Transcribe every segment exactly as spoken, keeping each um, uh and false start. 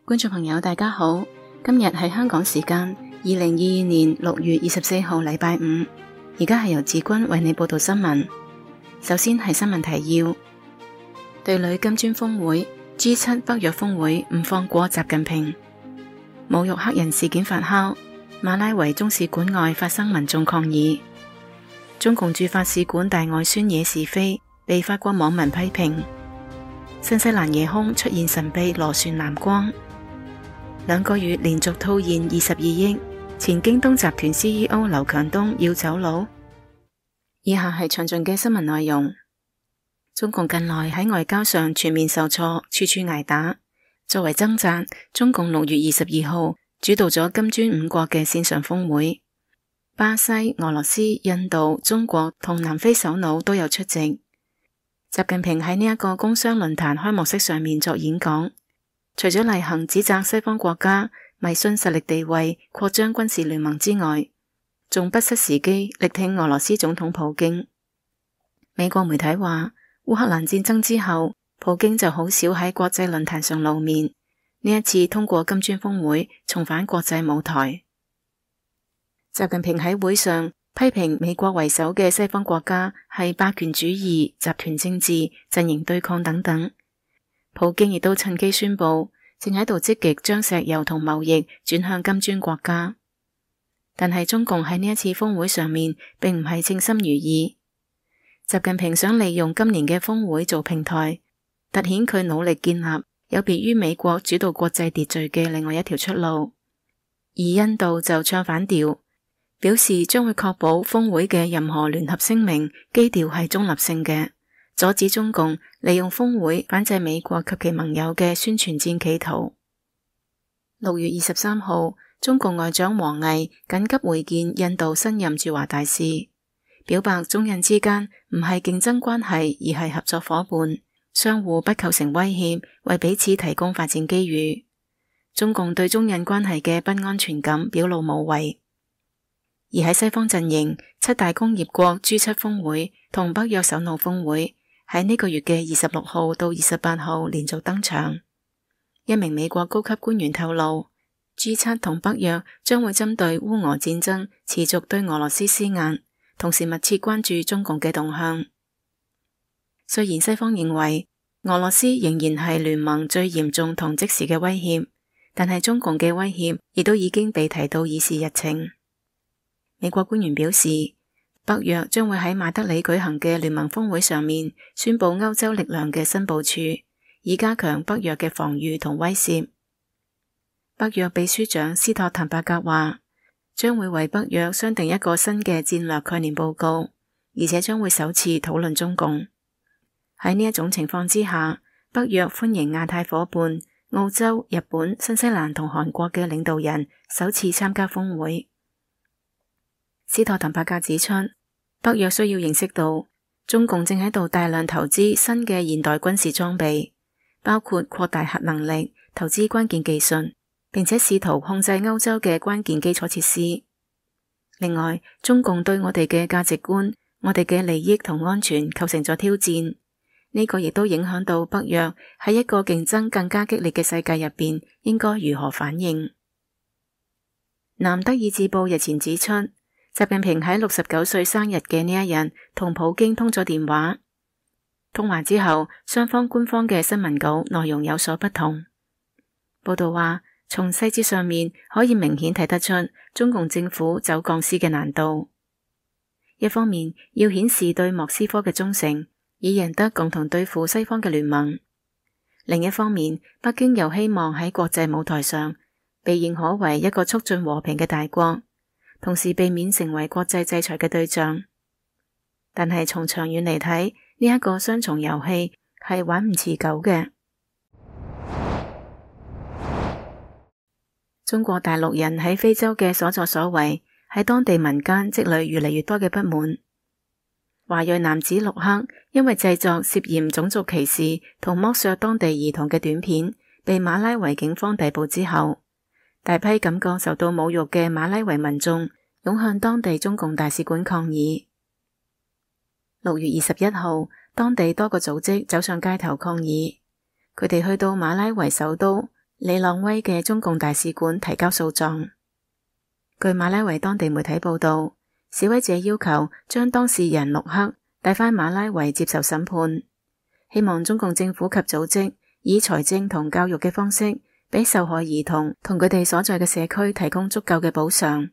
觀眾朋友大家好，今日係香港時間二零二二年六月二十四號禮拜五，而家係由子君為你報道新聞。首先係新聞提要：對壘金磚峰會 G 七 北約峰會唔放過習近平，侮辱黑人事件發酵，馬拉維中使館外發生民眾抗議，中共駐法使館大外宣惹是非，被法國網民批評，新西蘭夜空出現神秘螺旋藍光，兩個月連續套現二十二億，前京東集團 C E O 劉強東要走佬。以下係詳盡嘅新聞內容。中共近來喺外交上全面受挫，處處挨打。作為掙扎，中共六月二十二號主導咗金磚五國嘅線上峰會，巴西、俄羅斯、印度、中國同南非首腦都有出席。習近平喺呢一個工商論壇開幕式上面作演講，除咗例行指責西方國家迷信實力地位、擴張軍事聯盟之外，仲不失時機力挺俄羅斯總統普京。美國媒體話，烏克蘭戰爭之後，普京就好少喺國際論壇上露面，呢一次通過金磚峰會重返國際舞台。習近平喺會上批評美國為首嘅西方國家係霸權主義、集團政治、陣營對抗等等。普京亦都趁機宣布，正喺度積極將石油同貿易轉向金磚國家。但係中共喺呢一次峰會上面，並唔係稱心如意。習近平想利用今年嘅峰會做平台，凸顯佢努力建立有別於美國主導國際秩序嘅另外一條出路。而印度就唱反調，表示將會確保峰會嘅任何聯合聲明基調係中立性嘅，阻止中共利用峰會反制美國及其盟友嘅宣傳戰企圖。六月二十三號，中共外長王毅緊急會見印度新任駐華大使，表白中印之間唔係競爭關係，而係合作夥伴，相互不構成威脅，為彼此提供發展機遇。中共對中印關係嘅不安全感表露無遺。而喺西方陣營，七大工業國 G 七 峰會同北約首腦峰會喺呢個月嘅二十六號到二十八號連續登場。一名美國高級官員透露， G 七 同北約將會針對烏俄戰爭持續對俄羅斯施壓，同時密切關注中共嘅動向。雖然西方認為俄羅斯仍然係聯盟最嚴重同即時嘅威脅，但係中共嘅威脅亦都已經被提到議事日程。美國官員表示，北約將會喺馬德里舉行嘅聯盟峰會上面宣布歐洲力量嘅新部署，以加強北約嘅防禦同威懾。北約秘書長斯托滕伯格話，將會為北約商定一個新嘅戰略概念報告，而且將會首次討論中共。喺呢一種情況之下，北約歡迎亞太夥伴澳洲、日本、新西蘭同韓國嘅領導人首次參加峰會。斯托滕伯格指出，北約需要認識到中共正喺度大量投資新嘅現代軍事裝備，包括擴大核能力、投資關鍵技術，並且試圖控制歐洲嘅關鍵基礎設施。另外，中共對我哋嘅價值觀、我哋嘅利益同安全構成咗挑戰，呢個亦都影響到北約喺一個競爭更加激烈嘅世界入邊應該如何反應。南德意志報日前指出，習近平喺六十九歲生日嘅呢一日同普京通咗電話，通話之後雙方官方嘅新聞稿內容有所不同。報道話，從細節上面可以明顯睇得出中共政府走鋼絲嘅難度。一方面要顯示對莫斯科嘅忠誠，以贏得共同對付西方嘅聯盟；另一方面，北京又希望喺國際舞台上被認可為一個促進和平嘅大國，同時避免成為國際制裁嘅對象。但係從長遠嚟睇，呢一個雙重遊戲係玩唔持久嘅。中國大陸人喺非洲嘅所作所為，喺當地民間積累越嚟越多嘅不滿。華裔男子陸克因為製作涉嫌種族歧視同剝削當地兒童嘅短片，被馬拉維警方逮捕之後，大批感覺受到侮辱嘅馬拉維民眾湧向當地中共大使館抗議。六月二十一號，當地多個組織走上街頭抗議，佢哋去到馬拉維首都里朗威嘅中共大使館提交訴狀。據馬拉維當地媒體報道，示威者要求將當事人陸克帶返馬拉維接受審判，希望中共政府及組織以財政同教育嘅方式，俾受害兒童同佢哋所在嘅社區提供足夠嘅補償。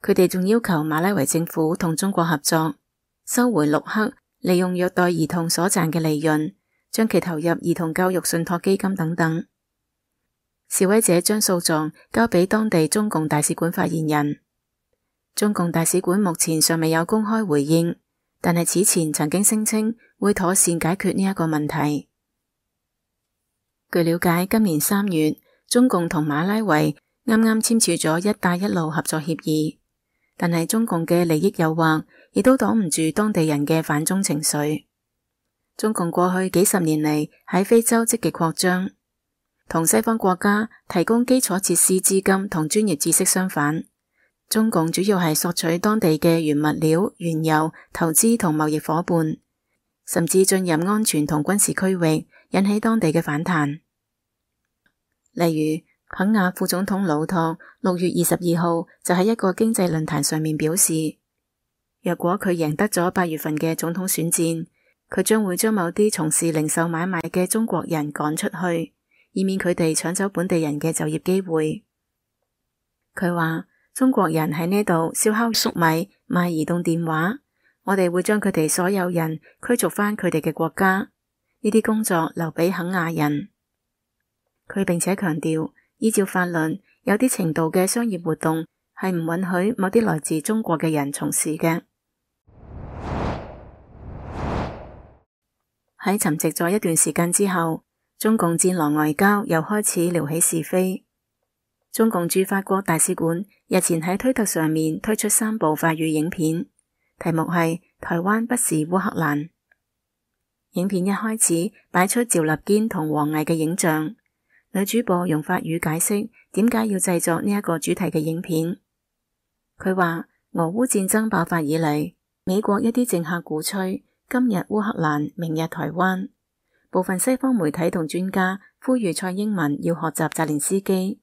佢哋仲要求馬拉維政府同中國合作，收回陸克利用虐待兒童所賺嘅利潤，將其投入兒童教育信託基金等等。示威者將訴狀交俾當地中共大使館發言人。中共大使館目前尚未有公開回應，但係此前曾經聲稱會妥善解決呢一個問題。據了解，今年三月，中共同馬拉維啱啱簽署咗一帶一路合作協議，但係中共嘅利益誘惑亦都擋唔住當地人嘅反中情緒。中共過去幾十年嚟喺非洲積極擴張，同西方國家提供基礎設施資金同專業知識相反，中共主要係索取當地嘅原物料、原油、投資同貿易夥伴，甚至進入安全同軍事區域，引起當地嘅反彈。例如，肯亞副總統魯托六月二十二號就喺一個經濟論壇上面表示，若果佢贏得咗八月份嘅總統選戰，佢將會將某啲從事零售買賣嘅中國人趕出去，以免佢哋搶走本地人嘅就業機會。佢話，中國人喺呢度燒烤粟米、賣移動電話，我哋會將佢哋所有人驅逐返佢哋嘅國家，呢啲工作留俾肯亞人。佢並且強調，依照法律，有啲程度嘅商業活動係唔允許某啲來自中國嘅人從事嘅。喺沉寂咗一段時間之後，中共戰狼外交又開始撩起是非。中共駐法國大使館日前喺推特上面推出三部法語影片，題目係台灣不是烏克蘭。影片一開始擺出趙立堅同王毅嘅影像。女主播用法語解釋點解要製作呢一個主題嘅影片。佢話，俄烏戰爭爆發以嚟，美國一啲政客鼓吹今日烏克蘭，明日台灣。部分西方媒體同專家呼籲蔡英文要學習澤連斯基。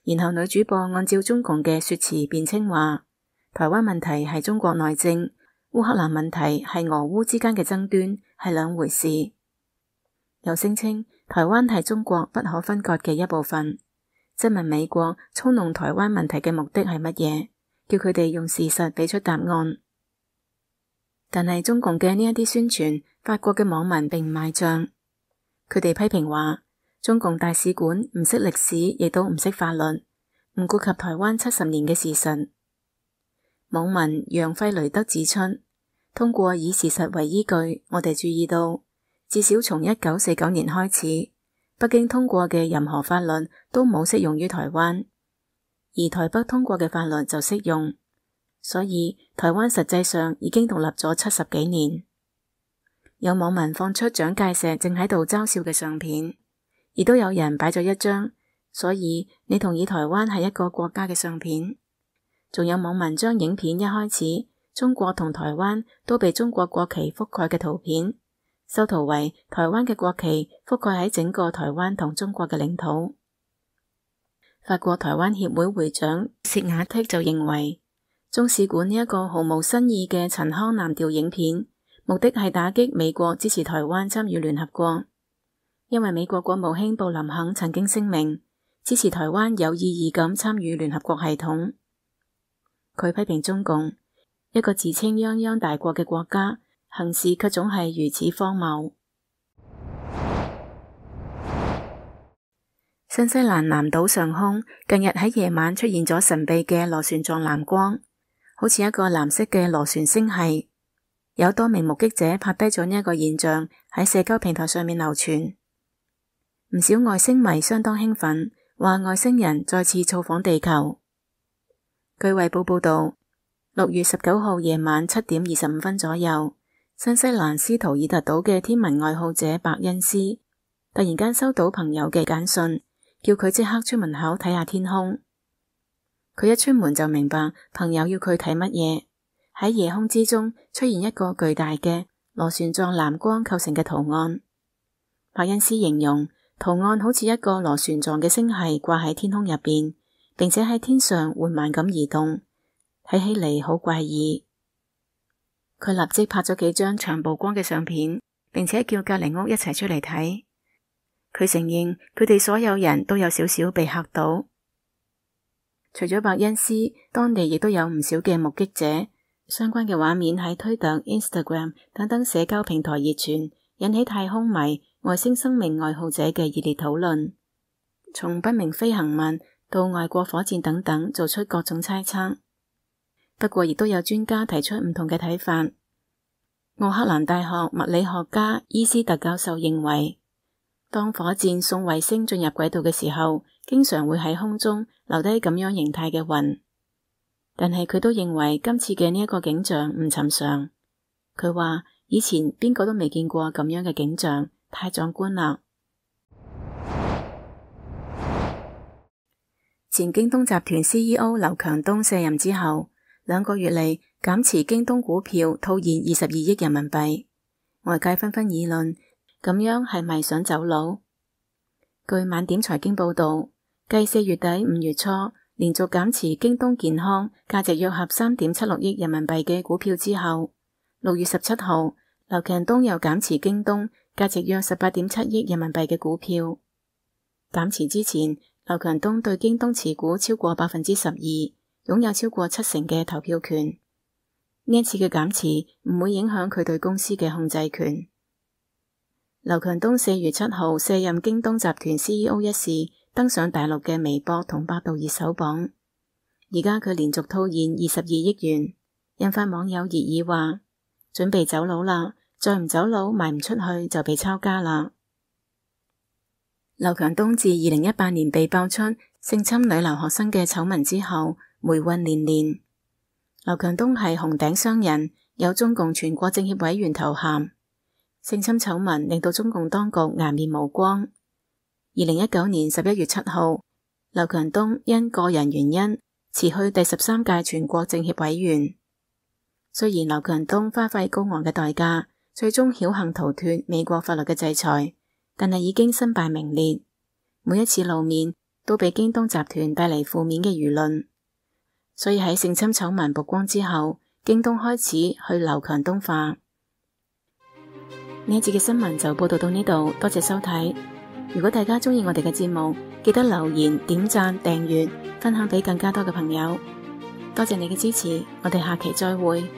然後女主播按照中共嘅說辭辯稱話，台灣問題係中國內政，烏克蘭問題係俄烏之間嘅爭端，係兩回事。又聲稱台灣係中國不可分割嘅一部分，質問美國操弄台灣問題嘅目的係乜嘢，叫佢哋用事實俾出答案。但係中共嘅呢一啲宣傳，法國嘅網民並唔買賬，佢哋批評話中共大使館唔識歷史，亦都唔識法律，唔顧及台灣七十年嘅事實。網民楊費雷德指出，通過以事實為依據，我哋注意到至少從一九四九年開始，北京通過嘅任何法律都冇適用於台灣，而台北通過嘅法律就適用，所以台灣實際上已經獨立咗七十幾年。有網民放出蔣介石正喺度嘲笑嘅相片，亦都有人擺咗一張，所以你同意台灣係一個國家嘅相片。仲有網民將影片一開始中國同台灣都被中國國旗覆蓋嘅圖片修圖為台灣嘅國旗覆蓋喺整個台灣同中國嘅領土。法國台灣協會會長薛亞剔就認為，中使館呢一個毫無新意嘅陳腔濫調影片，目的係打擊美國支持台灣參與聯合國，因為美國國務卿布林肯曾經聲明支持台灣有意義咁參與聯合國系統。佢批評中共一個自稱泱泱大國嘅國家，行事卻總係如此荒謬。新西蘭南島上空近日喺夜晚出現咗神秘嘅螺旋狀藍光，好似一個藍色嘅螺旋星系。有多名目擊者拍低咗呢一個現象，喺社交平台上面流傳。唔少外星迷相當興奮，話外星人再次造訪地球。據衛報報道，六月十九號夜晚七點二十五分左右，新西蘭斯圖爾特島嘅天文愛好者白恩斯突然間收到朋友嘅簡訊，叫佢即刻出門口睇下天空。佢一出門就明白朋友要佢睇乜嘢。喺夜空之中出現一個巨大嘅螺旋狀藍光構成嘅圖案。白恩斯形容圖案好似一個螺旋狀嘅星系掛喺天空入邊，並且喺天上緩慢咁移動，睇起嚟好怪異。佢立即拍咗幾張長曝光嘅相片，並且叫隔籬屋一齊出嚟睇。佢承認佢哋所有人都有少少被嚇到。除咗伯恩斯，當地亦都有唔少嘅目擊者，相關嘅畫面喺推特、Instagram 等等社交平台熱傳，引起太空迷、外星生命愛好者嘅熱烈討論。從不明飛行物到外國火箭等等，做出各種猜測。不過亦都有專家提出唔同嘅睇法。奧克蘭大學物理學家伊斯特教授認為，當火箭送衛星進入軌道嘅時候，經常會喺空中留低咁樣形態嘅雲。但係佢都認為今次嘅呢一個景象唔尋常。佢話以前邊個都未見過咁樣嘅景象，太壯觀啦。前京東集團 C E O 劉強東卸任之後，兩個月嚟減持京東股票套現二十二億人民幣，外界紛紛議論，咁樣係咪想走佬？據晚點財經報道，繼四月底五月初連續減持京東健康價值約合三點七六億人民幣嘅股票之後，六月十七號劉強東又減持京東價值約十八點七億人民幣嘅股票。減持之前，劉強東對京東持股超過百分之十二，擁有超過七成嘅投票權。呢一次嘅減持唔會影響佢對公司嘅控制權。劉強東四月七號卸任京東集團 C E O 一事登上大陸嘅微博同百度熱搜榜。而家佢連續套現二十二億元，引發網友熱議話：準備走佬啦，再唔走佬賣唔出去就被抄家啦。劉強東自二零一八年被爆出性侵女留學生嘅醜聞之後，霉運連連。劉強東係紅頂商人，有中共全國政協委員頭銜。性侵醜聞令到中共當局顏面無光。二零一九年十一月七號，劉強東因個人原因辭去第十三屆全國政協委員。雖然劉強東花費高昂嘅代價，最終僥倖逃脫美國法律嘅制裁，但係已經身敗名裂。每一次露面都俾京東集團帶嚟負面嘅輿論。所以喺性侵醜聞曝光之後，京東開始去劉強東化。呢一節嘅新聞就報道到呢度，多謝收睇。如果大家鍾意我哋嘅節目，記得留言、點讚、訂閱、分享俾更加多嘅朋友。多謝你嘅支持，我哋下期再會。